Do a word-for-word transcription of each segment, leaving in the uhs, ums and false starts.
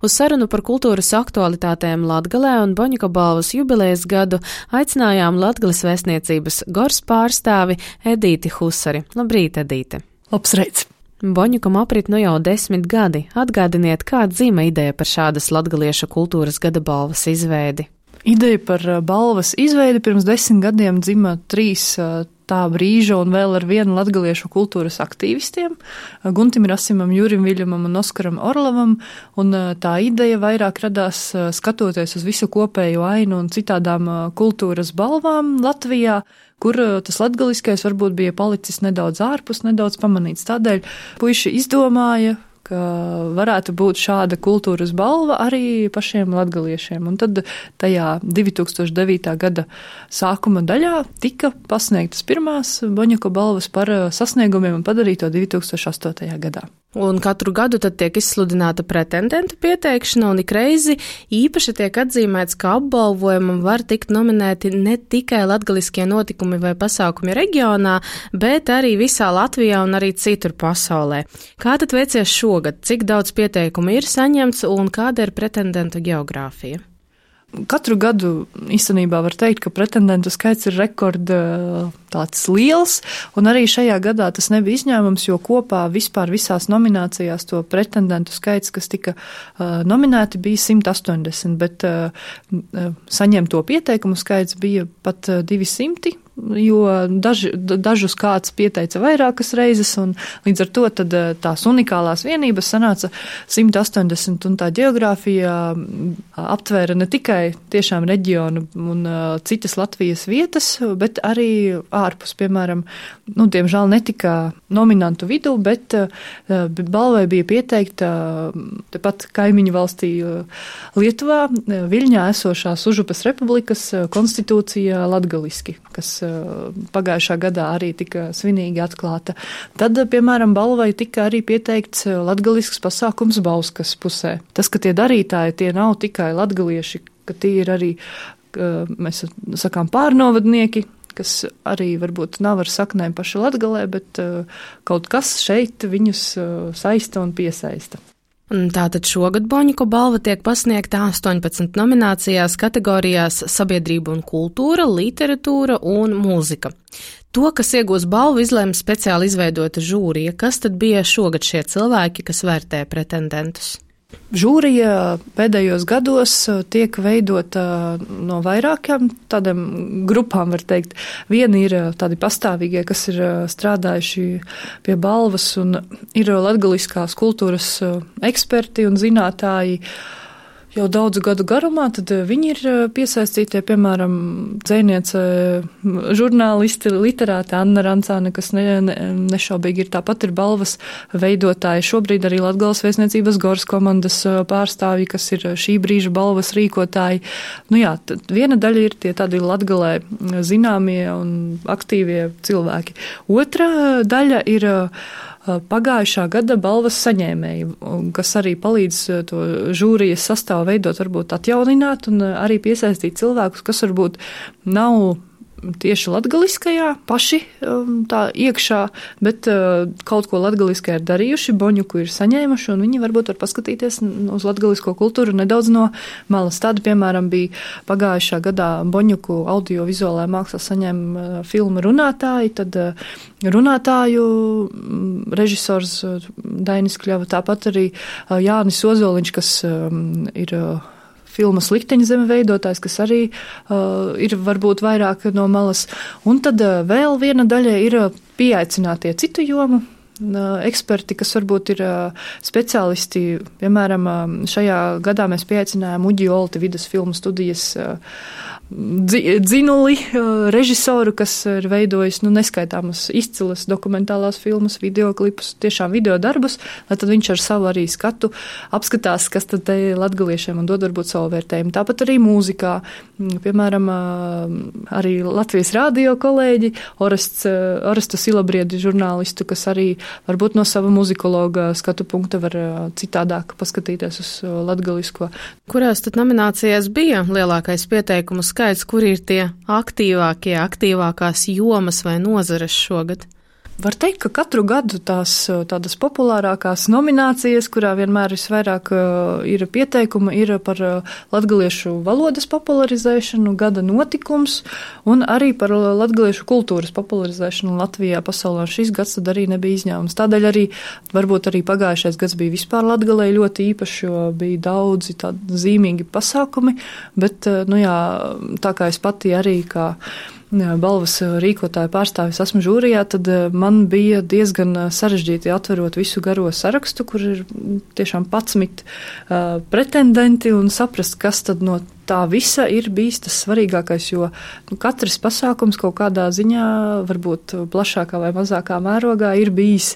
Uz sarunu par kultūras aktualitātēm Latgalē un Boņuka balvas jubilejas gadu aicinājām Latgales vēstniecības Gors pārstāvi Edīti Husari. Labrīt, Edīte! Labsreiz! Boņukam aprit nu jau desmit gadi. Atgādiniet, kā dzima ideja par šādas latgaliešu kultūras gada balvas izveidi? Ideja par balvas izveidi pirms desmit gadiem dzima trīs tā brīža un vēl ar vienu latgaliešu kultūras aktīvistiem – Guntim Rasimam, Jurim Viļamam un Oskaram Orlovam, un tā ideja vairāk radās skatoties uz visu kopējo ainu un citādām kultūras balvām Latvijā, kur tas latgaliskais varbūt bija palicis nedaudz ārpus, nedaudz pamanīts. Tādēļ puiši izdomāja, ka varētu būt šāda kultūras balva arī pašiem latgaliešiem. Un tad tajā divi tūkstoši devītā gada sākuma daļā tika pasniegtas pirmās Boņuka balvas par sasniegumiem un padarīto divi tūkstoši astotajā gadā. Un katru gadu tad tiek izsludināta pretendentu pieteikšana, un ikreizi īpaši tiek atzīmēts, ka apbalvojumam var tikt nominēti ne tikai latgaliskie notikumi vai pasākumi reģionā, bet arī visā Latvijā un arī citur pasaulē. Kā tad veicies šogad? Cik daudz pieteikumu ir saņemts un kāda ir pretendentu geogrāfija? Katru gadu īstenībā var teikt, ka pretendentu skaits ir rekord tāds liels, un arī šajā gadā tas nebija izņēmums, jo kopā vispār visās nominācijās to pretendentu skaits, kas tika uh, nominēti, bija simt astoņdesmit, bet uh, saņemto pieteikumu skaits bija pat uh, divi simti, jo daži, dažus kāds pieteica vairākas reizes, un līdz ar to tad tās unikālās vienības sanāca simt astoņdesmit, un tā geogrāfija aptvēra ne tikai tiešām reģionu un uh, citas Latvijas vietas, bet arī ārpus, piemēram, nu, diemžēl netika nominantu vidū, bet uh, balvai bija pieteikta uh, tepat kaimiņu valstī uh, Lietuvā, uh, Viļņā esošās Užupes republikas uh, konstitūcija latgaliski, kas uh, pagājušā gadā arī tika svinīgi atklāta. Tad, piemēram, balvai tika arī pieteikts latgalisks pasākums Bauskas pusē. Tas, ka tie darītāji, tie nav tikai latgalieši, ka tie ir arī, mēs sakām, pārnovadnieki, kas arī varbūt nav ar saknēm paši Latgalē, bet kaut kas šeit viņus saista un piesaista. Tātad šogad Boņuka balva tiek pasniegta astoņpadsmit nominācijās kategorijās sabiedrība un kultūra, literatūra un mūzika. To, kas iegūs balvu, izlēma speciāli izveidota žūrija. Kas tad bija šogad šie cilvēki, kas vērtē pretendentus? Žūrija pēdējos gados tiek veidota no vairākām tādām grupām, var teikt. Vieni ir tādi pastāvīgie, kas ir strādājuši pie balvas un ir latgaliskās kultūras eksperti un zinātāji jau daudzu gadu garumā, tad viņi ir piesaistītie, piemēram, dzejniece, žurnālisti, literāte Anna Rancāne, kas ne, ne, nešaubīgi ir tāpat ir balvas veidotāji. Šobrīd arī Latgales vēstniecības Gors komandas pārstāvji, kas ir šī brīža balvas rīkotāji. Nu jā, viena daļa ir tie tādi Latgalē zināmie un aktīvie cilvēki. Otra daļa ir pagājušā gada balvas saņēmēji, kas arī palīdz to žūrijas sastāvu veidot, varbūt atjaunināt un arī piesaistīt cilvēkus, kas varbūt nav tieši latgaliskajā paši tā iekšā, bet kaut ko latgaliskajā ir darījuši, Boņuku ir saņēmuši, un viņi varbūt var paskatīties uz latgalisko kultūru nedaudz no malas. Tāda, piemēram, bija pagājušā gadā Boņuku audiovizuālā mākslā saņēma filmu Runātāji, tad runātāju režisors Dainis Kļava, tāpat arī Jānis Ozoliņš, kas ir filmas Likteņzeme veidotājs, kas arī uh, ir varbūt vairāk no malas. Un tad uh, vēl viena daļa ir pieaicinātie citu jomu uh, eksperti, kas varbūt ir uh, speciālisti. Piemēram, uh, šajā gadā mēs pieaicinājām Uģi Olti vidus filmu studijas uh, dzinuli, režisoru, kas ir veidojis nu, neskaitāmas izcilas dokumentālās filmas, videoklipus, tiešām video darbus, lai tad viņš ar savu arī skatu apskatās, kas tad te latgaliešiem un dod varbūt savu vērtējumu. Tāpat arī mūzikā, piemēram, arī Latvijas rādio kolēģi, Orests, Orestu Silabriedi žurnālistu, kas arī varbūt no sava muzikologa skatu punkta var citādāk paskatīties uz latgalisko. Kurās tad nominācijās bija lielākais pieteikumu skaits, kur ir tie aktīvākie, aktīvākās jomas vai nozares šogad? Var teikt, ka katru gadu tās tādas populārākās nominācijas, kurā vienmēr visvairāk ir pieteikuma, ir par latgaliešu valodas popularizēšanu, gada notikums un arī par latgaliešu kultūras popularizēšanu Latvijā, pasaulē. Šis gads tad arī nebija izņēmums. Tādēļ arī, varbūt arī pagājušais gads bija vispār Latgalei ļoti īpašs, jo bija daudzi tādi zīmīgi pasākumi, bet, nu jā, tā kā es pati arī kā balvas rīkotāja pārstāvis esmu žūrijā, tad man bija diezgan sarežģīti atverot visu garo sarakstu, kur ir tiešām patsmit uh, pretendenti un saprast, kas tad no tā visa ir bijis tas svarīgākais, jo nu, katrs pasākums kaut kādā ziņā, varbūt plašākā vai mazākā mērogā, ir bijis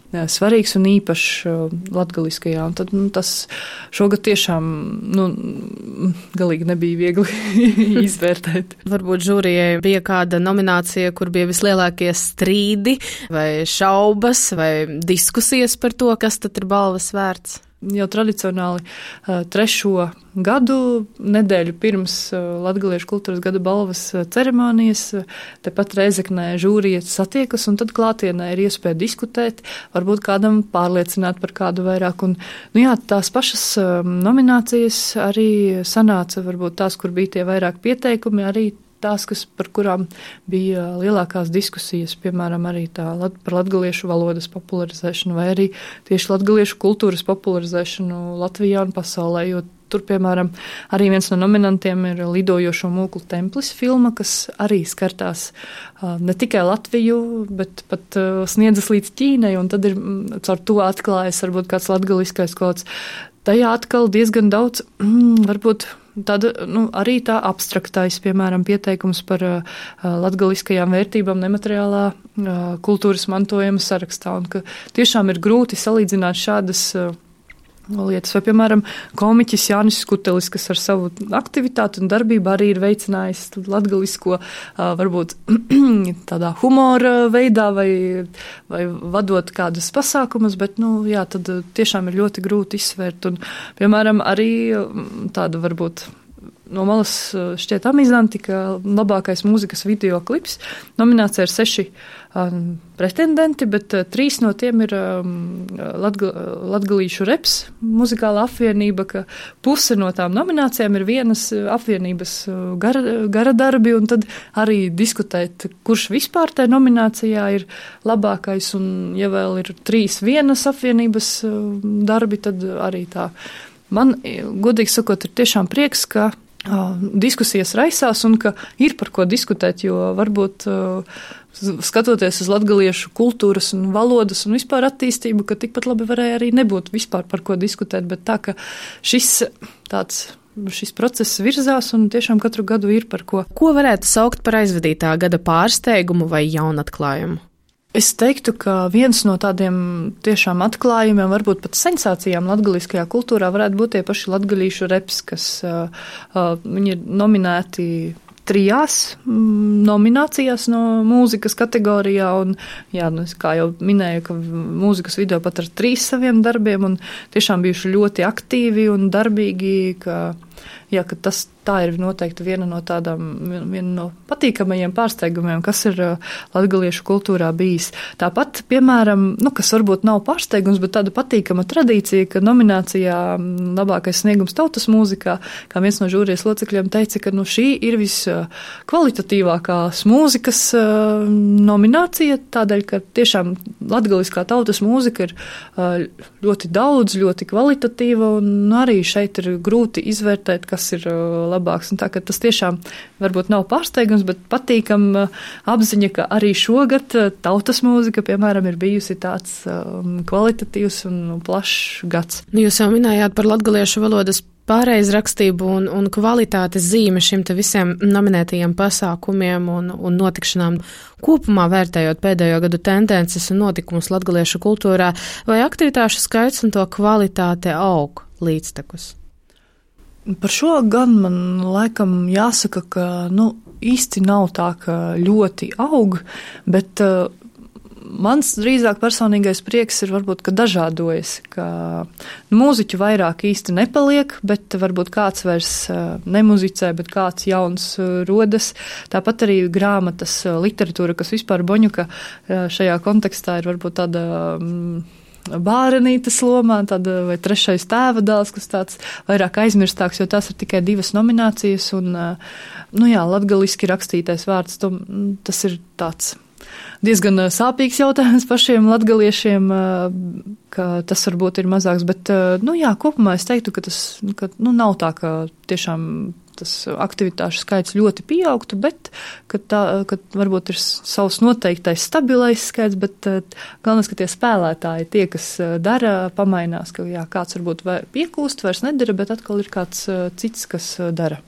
svarīgs un īpašs latgaliskajā. Un tad nu, tas šogad tiešām nu, galīgi nebija viegli izvērtēt. Varbūt žūrijai bija kāda nominācija, kur bija vislielākie strīdi vai šaubas vai diskusijas par to, kas tad ir balvas vērts. Jau tradicionāli trešo gadu nedēļu pirms Latgaliešu kultūras gada balvas ceremonijas tepat Rēzeknē žūrija satiekas, un tad klātienē ir iespēja diskutēt, varbūt kādam pārliecināt par kādu vairāk. Un, nu jā, tās pašas nominācijas arī sanāca, varbūt tās, kur bija tie vairāk pieteikumi, arī tās, kas, par kurām bija lielākās diskusijas, piemēram, arī tā par latgaliešu valodas popularizēšanu vai arī tieši latgaliešu kultūras popularizēšanu Latvijā un pasaulē, jo tur, piemēram, arī viens no nominantiem ir Lidojošo mūklu templis filma, kas arī skartās ne tikai Latviju, bet pat sniedzas līdz Ķīnai, un tad ir caur to atklājas varbūt kāds latgaliskais kods. Tajā atkal diezgan daudz, mm, varbūt tāda, nu, arī tā abstraktais, piemēram, pieteikums par uh, latgaliskajām vērtībām nemateriālā uh, kultūras mantojuma sarakstā, un ka tiešām ir grūti salīdzināt šādas uh, lietas. Vai, piemēram, komiķis Jānis Skutelis, kas ar savu aktivitāti un darbību arī ir veicinājis latgalisko, varbūt tādā humora veidā vai, vai vadot kādas pasākumus, bet, nu, jā, tad tiešām ir ļoti grūti izsvērt. Un, piemēram, arī tāda varbūt no malas šķiet amizanti, ka labākais mūzikas video klips nominācija ir seši um, pretendenti, bet uh, trīs no tiem ir um, Latga, latgalīšu reps muzikāla apvienība, ka puse no tām nominācijām ir vienas apvienības gara, gara darbi, un tad arī diskutēt, kurš vispār tajā nominācijā ir labākais, un ja vēl ir trīs vienas apvienības darbi, tad arī tā. Man, godīgi sakot, ir tiešām prieks, ka diskusijas raisās un ka ir par ko diskutēt, jo varbūt skatoties uz latgaliešu kultūras un valodas un vispār attīstību, ka tikpat labi varēja arī nebūt vispār par ko diskutēt, bet tā, ka šis tāds šis process virzās un tiešām katru gadu ir par ko. Ko varētu saukt par aizvadītā gada pārsteigumu vai jaunatklājumu? Es teiktu, ka viens no tādiem tiešām atklājumiem, varbūt pat sensācijām latgaliskajā kultūrā varētu būt tie paši latgalīšu reps, kas uh, uh, viņi ir nominēti trijās mm, nominācijās no mūzikas kategorijā, un, jā, nu, kā jau minēju, ka mūzikas video pat ar trīs saviem darbiem, un tiešām bijuši ļoti aktīvi un darbīgi, ka, jā, ka tas tā ir noteikti viena no tādām, viena no patīkamajiem pārsteigumiem, kas ir latgaliešu kultūrā bijis. Tāpat, piemēram, nu, kas varbūt nav pārsteigums, bet tāda patīkama tradīcija, ka nominācijā labākais sniegums tautas mūzikā, kā viens no žūrijas locekļiem teica, ka nu, šī ir viskvalitatīvākās mūzikas nominācija, tādēļ, ka tiešām latgaliskā tautas mūzika ir ļoti daudz, ļoti kvalitatīva, un arī šeit ir grūti izvērtēt, kas ir labāks. Un tā, ka tas tiešām varbūt nav pārsteigums, bet patīkam apziņa, ka arī šogad tautas mūzika, piemēram, ir bijusi tāds um, kvalitatīvs un plašs gads. Jūs jau minējāt par latgaliešu valodas pāreizrakstību un, un kvalitātes zīme šim te visiem nominētajiem pasākumiem un, un notikšanām. Kopumā vērtējot pēdējo gadu tendences un notikumus latgaliešu kultūrā, vai aktivitāšu skaits un to kvalitāte aug līdztekus? Par šo gan man laikam jāsaka, ka nu, īsti nav tā, ka ļoti aug, bet uh, mans drīzāk personīgais prieks ir varbūt, ka dažādojas, ka nu, mūziķu vairāk īsti nepaliek, bet varbūt kāds vairs nemuzicē, bet kāds jauns rodas. Tāpat arī grāmatas literatūra, kas vispār Boņuka šajā kontekstā ir varbūt tāda bārenītes lomā, tāda vai trešais tēva dēls, kas tāds vairāk aizmirstāks, jo tās ir tikai divas nominācijas, un, nu jā, latgaliski rakstītais vārds, to, tas ir tāds diezgan sāpīgs jautājums pašiem latgaliešiem, ka tas varbūt ir mazāks, bet, nu jā, kopumā es teiktu, ka tas, ka, nu, nav tā, ka tiešām tas aktivitāšu skaits ļoti pieaugtu, bet, ka tā, ka varbūt ir savs noteiktais stabilais skaits, bet galvenais, ka tie spēlētāji, tie, kas dara, pamainās, ka jā, kāds varbūt piekūst, vairs nedara, bet atkal ir kāds cits, kas dara.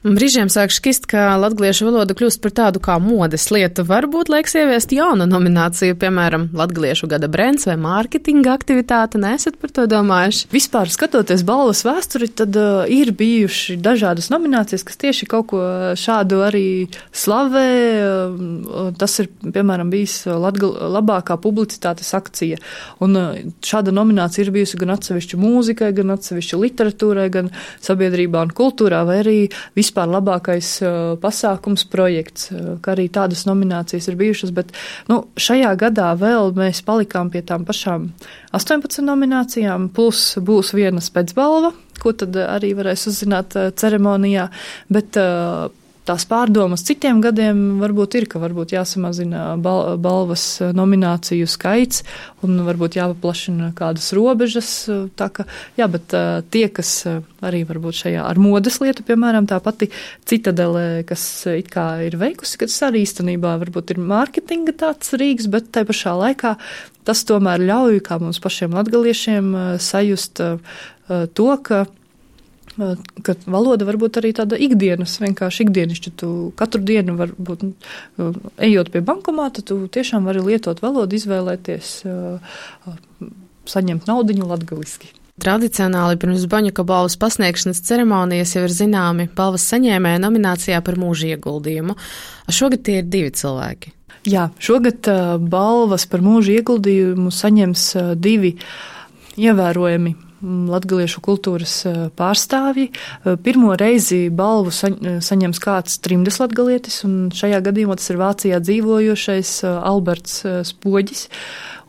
Brīžiem sāk šķist, ka latgaliešu valoda kļūst par tādu kā modes lietu. Varbūt laiks ieviest jaunu nomināciju, piemēram, latgaliešu gada brends vai mārketinga aktivitāte. Nesat par to domājuši? Vispār skatoties balvas vēsturi, tad uh, ir bijuši dažādas nominācijas, kas tieši kaut ko šādu arī slavē. Uh, tas ir, piemēram, bijis latgal, labākā publicitātes akcija. Un uh, šāda nominācija ir bijusi gan atsevišķu mūzikai, gan atsevišķu literatūrai, gan sabiedrībā un kultūrā, vai arī vispār Vispār labākais uh, pasākums projekts, uh, kā arī tādas nominācijas ir bijušas, bet nu, šajā gadā vēl mēs palikām pie tām pašām astoņpadsmit nominācijām, plus būs viena spēcbalva, ko tad arī varēs uzzināt uh, ceremonijā, bet uh, tās pārdomas citiem gadiem varbūt ir, ka varbūt jāsamazina bal- balvas nomināciju skaits un varbūt jāpaplašina kādas robežas. Tā ka, jā, bet uh, tie, kas arī varbūt šajā ar modes lietu, piemēram, tā pati Citadele, kas it kā ir veikusi, kas arī īstenībā varbūt ir mārketinga tāds rīks, bet tai pašā laikā tas tomēr ļauj, kā mums pašiem latgaliešiem, sajust uh, to, ka ka valoda varbūt arī tāda ikdienas, vienkārši ikdienišķa. Tu katru dienu varbūt, ejot pie bankomāta, tu tiešām vari lietot valodu, izvēlēties, saņemt naudiņu latgaliski. Tradicionāli pirms Boņuka balvas pasniegšanas ceremonijas jau ir zināmi balvas saņēmēja nominācijā par mūža ieguldījumu. Šogad tie ir divi cilvēki. Jā, šogad balvas par mūža ieguldījumu saņems divi ievērojami latgaliešu kultūras pārstāvji. Pirmo reizi balvu saņems kāds trimdes latgalietis, un šajā gadījumā tas ir Vācijā dzīvojošais Alberts Spoģis.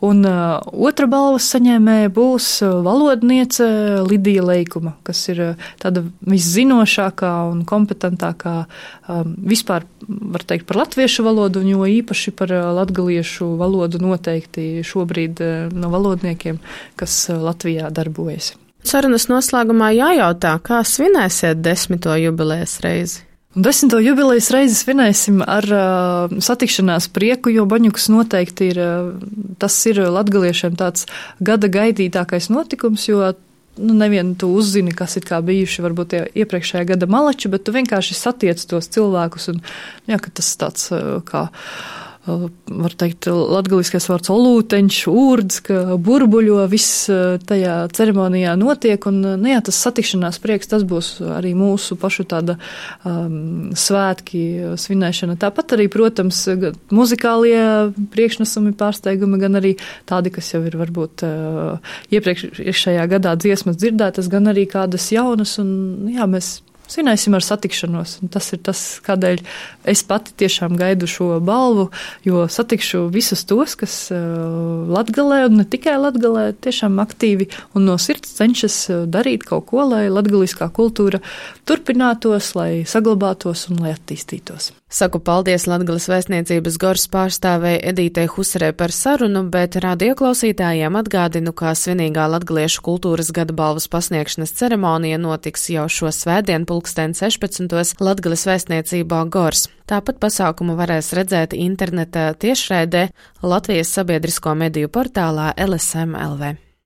Un uh, otra balvas saņēmēja būs valodniece Lidija Leikuma, kas ir tāda viszinošākā un kompetentākā um, vispār, var teikt, par latviešu valodu, un jo īpaši par latgaliešu valodu noteikti šobrīd uh, no valodniekiem, kas uh, Latvijā darbojas. Sarunas noslēgumā jājautā, kā svinēsiet desmito jubilejas reizi? Un desmito jubilejas reizi svinēsim ar uh, satikšanās prieku, jo Boņukas noteikti ir, uh, tas ir latgaliešiem tāds gada gaidītākais notikums, jo nu, nevienu tu uzzini, kas ir kā bijuši varbūt tie iepriekšējā gada malači, bet tu vienkārši satiec tos cilvēkus un, jā, ka tas tāds uh, kā var teikt, latgaliskais vārds olūteņš, ūrdz, ka burbuļo, viss tajā ceremonijā notiek, un, nu jā, tas satikšanās prieks, tas būs arī mūsu pašu tāda um, svētki svinēšana. Tāpat arī, protams, muzikālie priekšnesumi, pārsteigumi, gan arī tādi, kas jau ir varbūt uh, iepriekšējā gadā dziesmas dzirdētas, gan arī kādas jaunas, un, jā, mēs svinēsim ar satikšanos, un tas ir tas, kādēļ es pati tiešām gaidu šo balvu, jo satikšu visus tos, kas uh, Latgalē, un ne tikai Latgalē, tiešām aktīvi un no sirds cenšas darīt kaut ko, lai latgaliskā kultūra turpinātos, lai saglabātos un lai attīstītos. Saku paldies Latgales vēstniecības Goras pārstāvei Edītei Husarei par sarunu, bet radioklausītājiem atgādinu, ka svinīgā latgaliešu kultūras gada balvas pasniegšanas ceremonija notiks jau šo svētdienu pulksten sešpadsmitos Latgales vēstniecībā Goras. Tāpat pasākumu varēs redzēt interneta tiešraidē Latvijas sabiedrisko mediju portālā L S M L V.